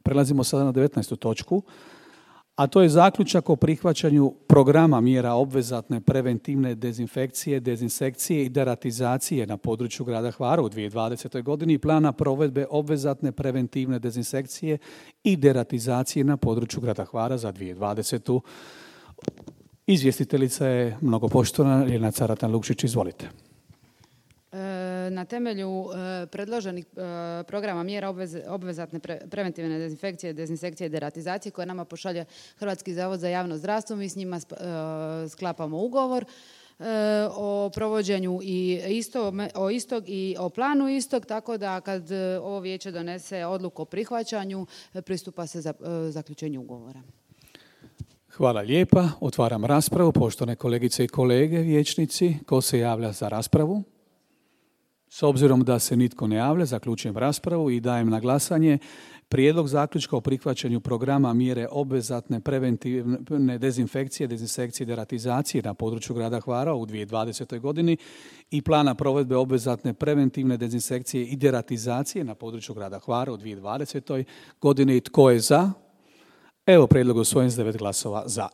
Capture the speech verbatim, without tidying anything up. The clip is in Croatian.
Prelazimo sada na devetnaestu točku, a to je zaključak o prihvaćanju programa mjera obvezatne preventivne dezinfekcije, dezinsekcije i deratizacije na području grada Hvara u dvije tisuće dvadesetoj godini i plana provedbe obvezatne preventivne dezinsekcije i deratizacije na području grada Hvara za dvije tisuće dvadesetu. Izvjestiteljica je mnogopoštovana Ljiljana Caratan-Lukšić, izvolite. Na temelju predloženih programa mjera obvezatne preventivne dezinfekcije, dezinsekcije i deratizacije koje nama pošalje Hrvatski zavod za javno zdravstvo, mi s njima sklapamo ugovor o provođenju i isto, o istog i o planu istog, tako da kad ovo vijeće donese odluku o prihvaćanju, pristupa se za zaključenju ugovora. Hvala lijepa. Otvaram raspravu. Poštovane kolegice i kolege, vijećnici, ko se javlja za raspravu? S obzirom da se nitko ne javlja, zaključujem raspravu i dajem na glasanje prijedlog zaključka o prihvaćanju programa mjere obvezatne preventivne dezinfekcije, dezinsekcije i deratizacije na području grada Hvara u dvije tisuće dvadesetoj godini i plana provedbe obvezatne preventivne dezinsekcije i deratizacije na području grada Hvara u dvije tisuće dvadesetoj godini. Tko je za? Evo, prijedlog usvojen s devet glasova za.